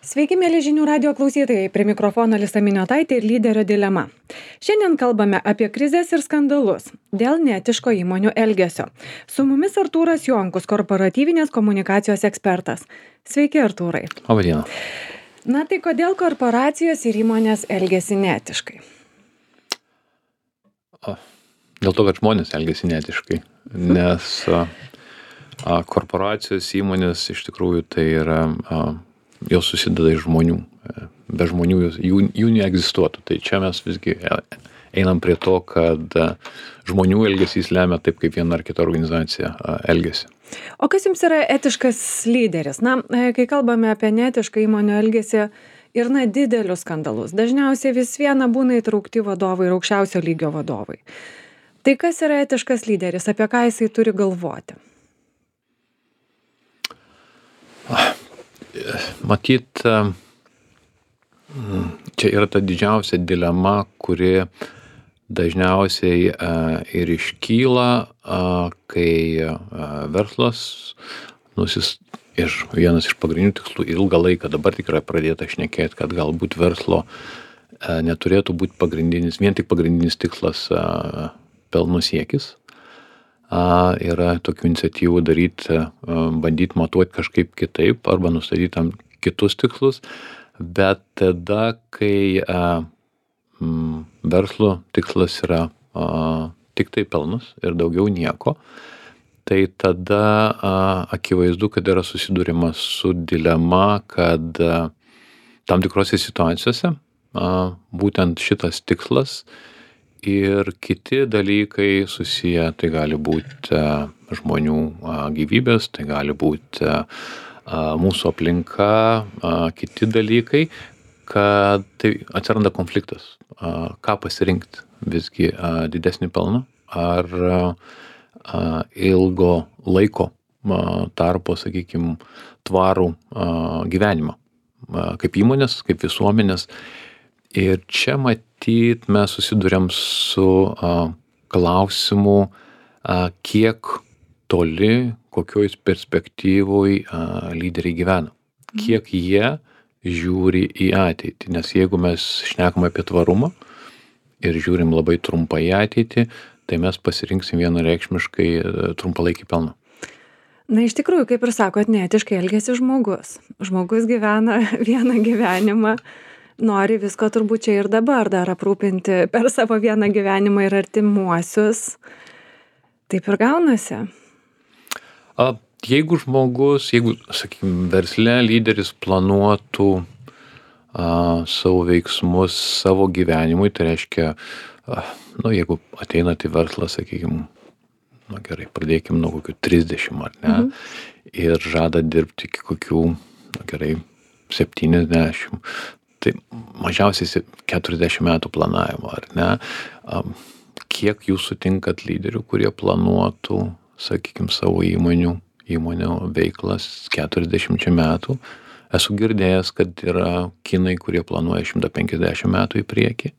Sveiki, mėly žinių radio klausytojai, prie mikrofono Alisa Miniotaitė ir lyderio dilema. Šiandien kalbame apie krizes ir skandalus dėl neetiško įmonių elgesio. Su mumis Artūras Jonkus, korporatyvinės komunikacijos ekspertas. Sveiki, Artūrai. Labą dieną. Na tai kodėl korporacijos ir įmonės elgiasi neetiškai? Dėl to, kad žmonės elgiasi neetiškai, nes korporacijos įmonės iš tikrųjų tai yra, jos susideda iš žmonių. Be žmonių jų neegzistuotų. Tai čia mes visgi einam prie to, kad žmonių elgesys lemia taip, kaip viena ar kita organizacija elgiasi. O kas jums yra etiškas lyderis? Na, kai kalbame apie neetišką įmonių elgesį ir didelius skandalus, dažniausiai vis viena būna įtraukti vadovai ir aukščiausio lygio vadovai. Tai kas yra etiškas lyderis, apie ką jisai turi galvoti? Matyt, čia yra ta didžiausia dilema, kuri dažniausiai ir iškyla, kai verslas ir vienas iš pagrindinių tikslų ilgą laiką dabar tikrai pradėta šnekėti, kad galbūt verslo neturėtų būti vien tik pagrindinis tikslas pelno siekis. Yra tokių iniciatyvų bandyti matuoti kažkaip kitaip arba nustatyti tam kitus tikslus, bet tada, kai verslo tikslas yra tik tai pelnas ir daugiau nieko, tai tada akivaizdu, kad yra susidūrimas su dilema, kad tam tikrose situacijose būtent šitas tikslas ir kiti dalykai susiję, tai gali būti žmonių gyvybės, tai gali būti mūsų aplinka, kiti dalykai, kad tai atsiranda konfliktas. Ką pasirinkti? Visgi didesnį pelną ar ilgo laiko tarpo, sakykime, tvarų gyvenimą, kaip įmonės, kaip visuomenės. Ir čia matyt mes susiduriam su klausimu, kiek toli, kokioj perspektyvoj lyderiai gyvena. Kiek jie žiūri į ateitį. Nes jeigu mes šnekam apie tvarumą ir žiūrim labai trumpai į ateitį, tai mes pasirinksim vienareikšmiškai trumpalaikį pelną. Na, iš tikrųjų, kaip ir sakot, neetiškai elgiasi žmogus. Žmogus gyvena vieną gyvenimą, nori visko turbūt čia ir dabar dar aprūpinti per savo vieną gyvenimą ir artimuosius. Taip ir gaunasi. Jeigu, sakykime, versle lyderis planuotų savo veiksmus savo gyvenimui, tai reiškia, jeigu ateinat į verslą, sakykime, gerai, pradėkime nuo kokių 30, ar ne, ir žada dirbti iki kokių, gerai, 70, tai mažiausiai 40 metų planavimo, ar ne? Kiek jūs sutinkat lyderių, kurie planuotų, sakykime, savo įmonių veiklas 40 metų? Esu girdėjęs, kad yra kinai, kurie planuoja 150 metų į priekį,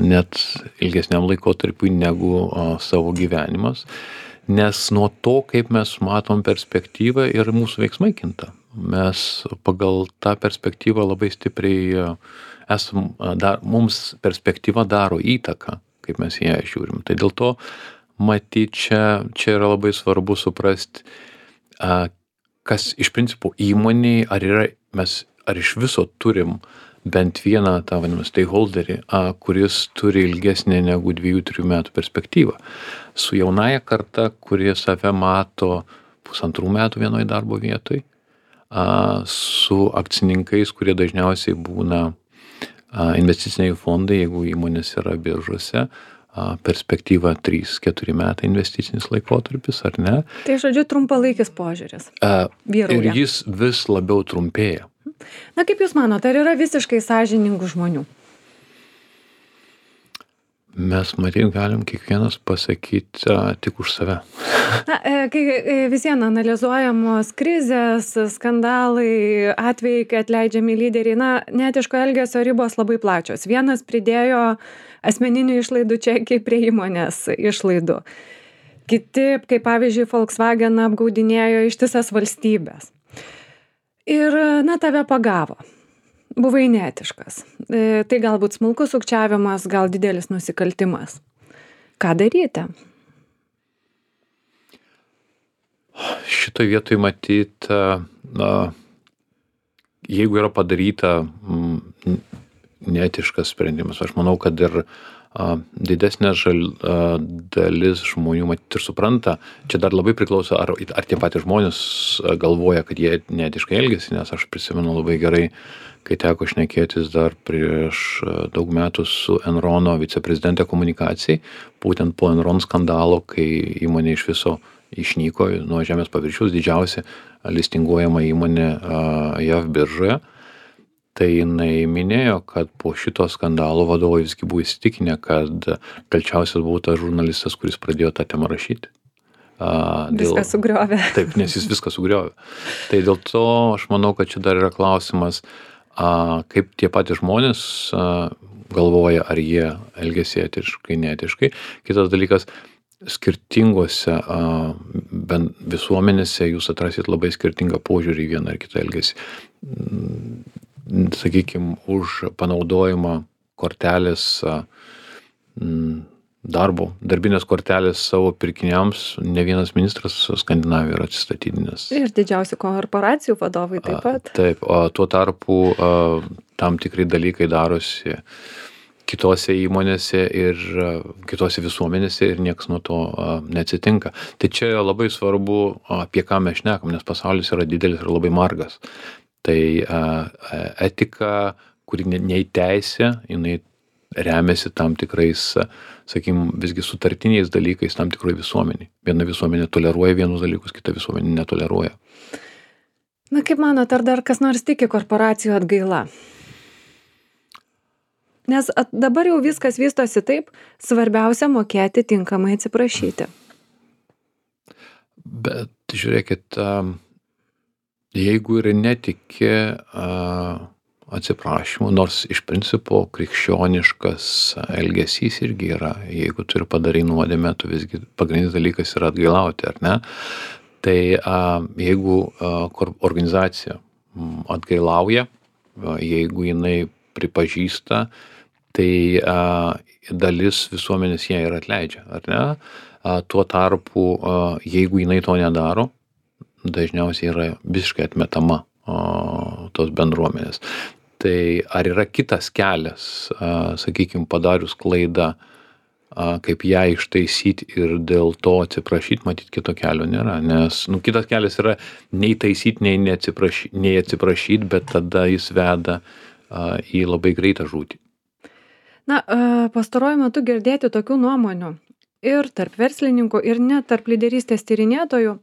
net ilgesniam laikotarpiui negu savo gyvenimas, nes nuo to, kaip mes matom perspektyvą ir mūsų veiksmai kinta. Mes pagal tą perspektyvą labai stipriai mums perspektyva daro įtaką, kaip mes ją žiūrim. Tai dėl to, matyt, čia yra labai svarbu suprasti, kas iš principo įmonėj, ar iš viso turim bent vieną tą vadinamą stakeholderį, kuris turi ilgesnę negu 2-3 metų perspektyvą. Su jaunaja karta, kurie save mato 1,5 metų vienoj darbo vietoj, su akcininkais, kurie dažniausiai būna investiciniai fondai, jeigu įmonės yra biržose, perspektyva 3-4 metai investicinis laikotarpis, ar ne? Tai žodžiu trumpalaikis požiūris. Ir jis vis labiau trumpėja. Na, kaip Jūs manote, ar yra visiškai sąžiningų žmonių? Mes, matyt, galim kiekvienas pasakyti tik už save. Na, kai visien analizuojamos krizės, skandalai, atvejai, kai atleidžiami lyderiai, neetiško elgesio ribos labai plačios. Vienas pridėjo asmeninių išlaidų čekį prie įmonės išlaidų. Kiti, kaip pavyzdžiui, Volkswagen apgaudinėjo ištisas valstybės. Ir, na, tave pagavo. Buvai neetiškas. Tai galbūt smulkus sukčiavimas, gal didelis nusikaltimas. Ką daryti? Šitoj vietoj matyt, na, jeigu yra padaryta neetiškas sprendimas, aš manau, kad ir didesnė dalis žmonių matyt ir supranta, čia dar labai priklauso, ar tie patys žmonės galvoja, kad jie neetiškai elgiasi, nes aš prisimenu labai gerai, kai teko šnekėtis dar prieš daug metų su Enrono viceprezidente komunikacijai, būtent po Enron skandalo, kai įmonė iš viso išnyko nuo žemės paviršiaus, didžiausia listinguojama įmonė JAV biržoje. Tai jinai minėjo, kad po šito skandalo vadovai visgi buvo įsitikinę, kad kalčiausias buvo tas žurnalistas, kuris pradėjo tą temą rašyti. Viską sugriovė. Taip, nes jis viską sugriovė. Tai dėl to aš manau, kad čia dar yra klausimas, kaip tie patys žmonės galvoja, ar jie elgiasi etiškai, neetiškai. Kitas dalykas, skirtingose visuomenėse jūs atrasit labai skirtingą požiūrį į vieną ar kitą elgesį. Sakykime, už panaudojimą kortelės darbinės kortelės savo pirkiniams ne vienas ministras Skandinavijoje yra atsistatydinęs. Ir didžiausių korporacijų vadovai taip pat. Taip, o tuo tarpu tam tikrai dalykai darosi kitose įmonėse ir kitose visuomenėse ir niekas nuo to neatsitinka. Tai čia labai svarbu, apie ką mes šnekam, nes pasaulis yra didelis ir labai margas. Tai etika, kuri neįteisė, jinai remiasi tam tikrais, sakykim, visgi sutartiniais dalykais tam tikroj visuomeniai. Viena visuomenė toleruoja vienus dalykus, kita visuomenė netoleruoja. Na, kaip manot, ar dar kas nors tiki korporacijų atgaila? Nes dabar jau viskas vystosi taip, svarbiausia mokėti tinkamai atsiprašyti. Bet žiūrėkit, jeigu ir netiki atsiprašymu, nors iš principo krikščioniškas elgesys irgi yra, jeigu tu ir padarai nuodėmę, tu visgi pagrindinis dalykas yra atgailauti, ar ne? Tai jeigu organizacija atgailauja, jeigu jinai pripažįsta, tai dalis visuomenės ją ir atleidžia, ar ne? Tuo tarpu, jeigu jinai to nedaro, dažniausiai yra visiškai atmetama tos bendruomenės. Tai ar yra kitas kelias, sakykime, padarius klaidą, kaip ją ištaisyti ir dėl to atsiprašyti, matyt, kito kelio nėra. Nes kitas kelias yra nei taisyti, nei atsiprašyti, bet tada jis veda į labai greitą žūtį. Na, pastaruoju metu girdėti tokių nuomonių ir tarp verslininkų, ir net tarp lyderystės tyrinėtojų,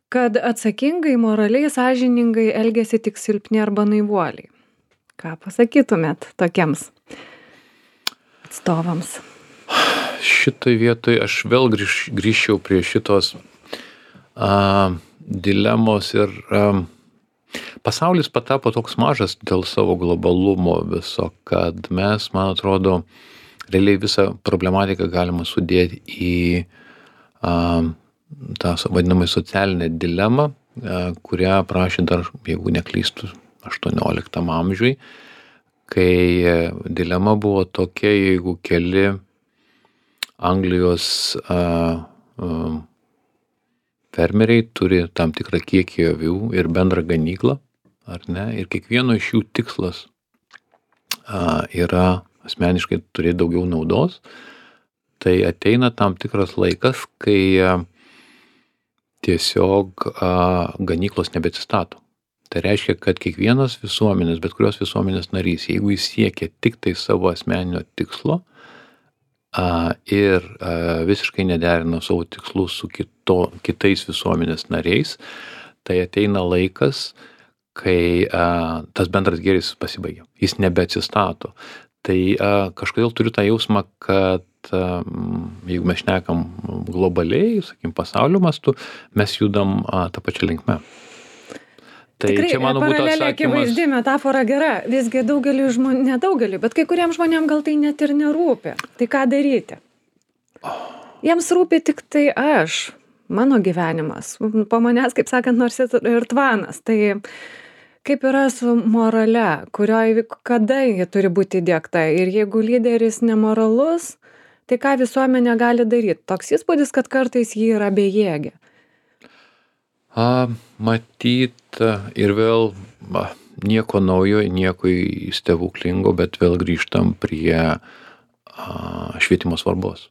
kad atsakingai, moraliai, sąžiningai elgiasi tik silpni arba naivuoliai. Ką pasakytumėt tokiems atstovams? Šitoj vietoj aš vėl grįžčiau prie šitos dilemos ir pasaulis patapo toks mažas dėl savo globalumo viso, kad mes, man atrodo, realiai visą problematiką galima sudėti į tą vadinamą socialinę dilemą, kurią aprašė dar, jeigu neklystu, 18 amžiui, kai dilema buvo tokia, jeigu keli Anglijos fermeriai turi tam tikrą kiekį avių ir bendrą ganyklą, ar ne, ir kiekvieno iš jų tikslas yra asmeniškai turėti daugiau naudos, tai ateina tam tikras laikas, kai tiesiog ganyklos nebeatsistato. Tai reiškia, kad kiekvienas visuomenės, bet kurios visuomenės narys, jeigu jis siekia tik tai savo asmeninio tikslo ir visiškai nederina savo tikslų su kitais visuomenės nariais, tai ateina laikas, kai tas bendras gėris pasibaigia. Jis nebeatsistato. Tai kažkodėl turiu tą jausmą, kad jeigu mes šnekam globaliai, sakykim, pasaulio mastu, mes judam tą pačią linkmę. Tai tikrai, čia mano būtų paralelė atsakymas. akivaizdi, metafora gera. Visgi daugelį žmonių, nedaugeliu, bet kai kuriems žmonėms gal tai net ir nerūpi. Tai ką daryti? Jiems rūpi tik tai aš, mano gyvenimas. Po manęs, kaip sakant, nors ir tvanas. Tai kaip yra su morale, kada ji turi būti įdiegta? Ir jeigu lyderis nemoralus, tai ką visuomenė gali daryt? Toks įspūdis, kad kartais ji yra bejėgė. Matyt, ir vėl nieko naujo, nieko stebuklingo, bet vėl grįžtam prie švietimo svarbos.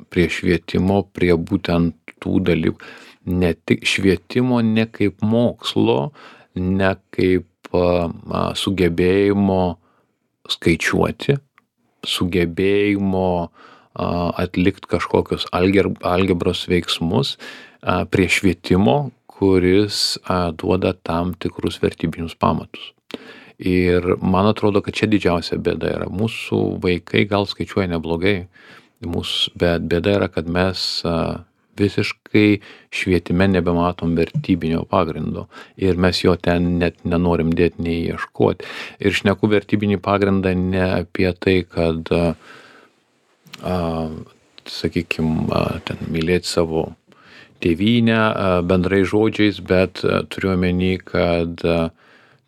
Prie švietimo, prie būtent tų dalykų. Ne tik švietimo, ne kaip mokslo, ne kaip sugebėjimo skaičiuoti, sugebėjimo atlikti kažkokius algebros veiksmus, prie švietimo, kuris duoda tam tikrus vertybinius pamatus. Ir man atrodo, kad čia didžiausia bėda yra. Mūsų vaikai gal skaičiuoja neblogai, bet bėda yra, kad mes visiškai švietime nebematom vertybinio pagrindo ir mes jo ten net nenorim dėti, nei ieškoti. Ir šneku vertybinį pagrindą ne apie tai, kad, sakykime, ten mylėti savo tėvynę bendrai žodžiais, bet turiu omeny, kad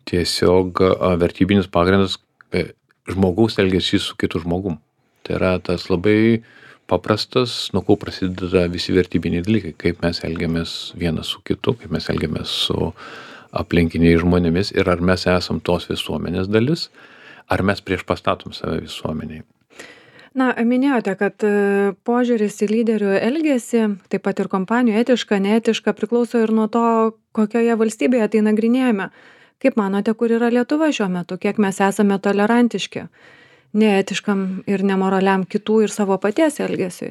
tiesiog vertybinis pagrindas žmogaus elgesys su kitu žmogum. Tai yra tas labai paprastas, nuo ko prasideda visi vertybiniai dalykai, kaip mes elgiamės vienas su kitu, kaip mes elgiamės su aplinkiniais žmonėmis ir ar mes esam tos visuomenės dalis, ar mes priešpastatom save visuomeniai. Na, minėjote, kad požiūris į lyderių elgesį, taip pat ir kompanijų etiška, neetiška, priklauso ir nuo to, kokioje valstybėje tai nagrinėjame. Kaip manote, kur yra Lietuva šiuo metu, kiek mes esame tolerantiški neetiškam ir nemoraliam kitų ir savo paties elgesiui?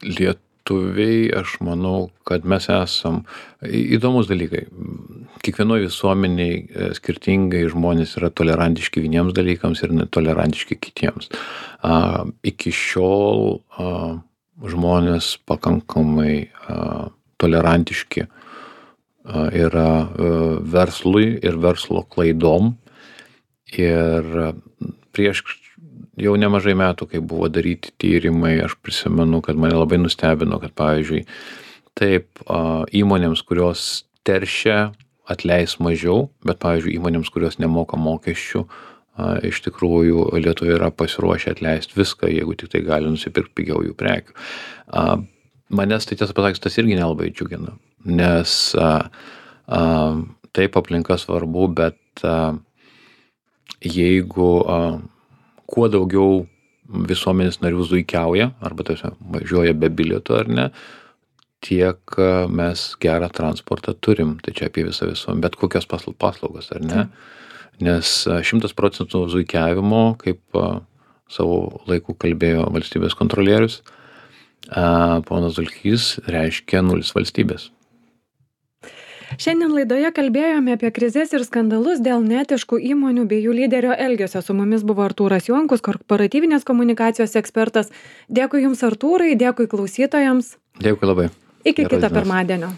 Lietuviai, aš manau, kad mes esam įdomus dalykai. Kiekvienoje visuomeniai skirtingai žmonės yra tolerantiški vieniems dalykams ir netolerantiški kitiems. Iki šiol žmonės pakankamai tolerantiški yra verslui ir verslo klaidom. Ir prieš jau nemažai metų, kai buvo daryti tyrimai, aš prisimenu, kad mane labai nustebino, kad pavyzdžiui, taip įmonėms, kurios teršia, atleis mažiau, bet pavyzdžiui, įmonėms, kurios nemoka mokesčių, iš tikrųjų Lietuva yra pasiruošę atleisti viską, jeigu tik tai gali nusipirkti pigiau jų prekių. Manęs tai tiesą pasakius, tas irgi nelabai džiugina, nes taip aplinka svarbu, bet jeigu kuo daugiau visuomenės narių zuikiauja, arba tiesiog važiuoja be bilieto ar ne, tiek mes gerą transportą turim, tai čia apie visą visuomenę, bet kokios paslaugos ar ne, nes 100% zuikiavimo, kaip savo laiku kalbėjo valstybės kontrolierius, ponas Dulkys, reiškia 0 valstybės. Šiandien laidoje kalbėjome apie krizes ir skandalus dėl neetiškų įmonių bei jų lyderio elgesio. Su mumis buvo Artūras Jonkus, korporatyvinės komunikacijos ekspertas. Dėkui Jums, Artūrai, dėkui klausytojams. Dėkui labai. Iki kito pirmadienio.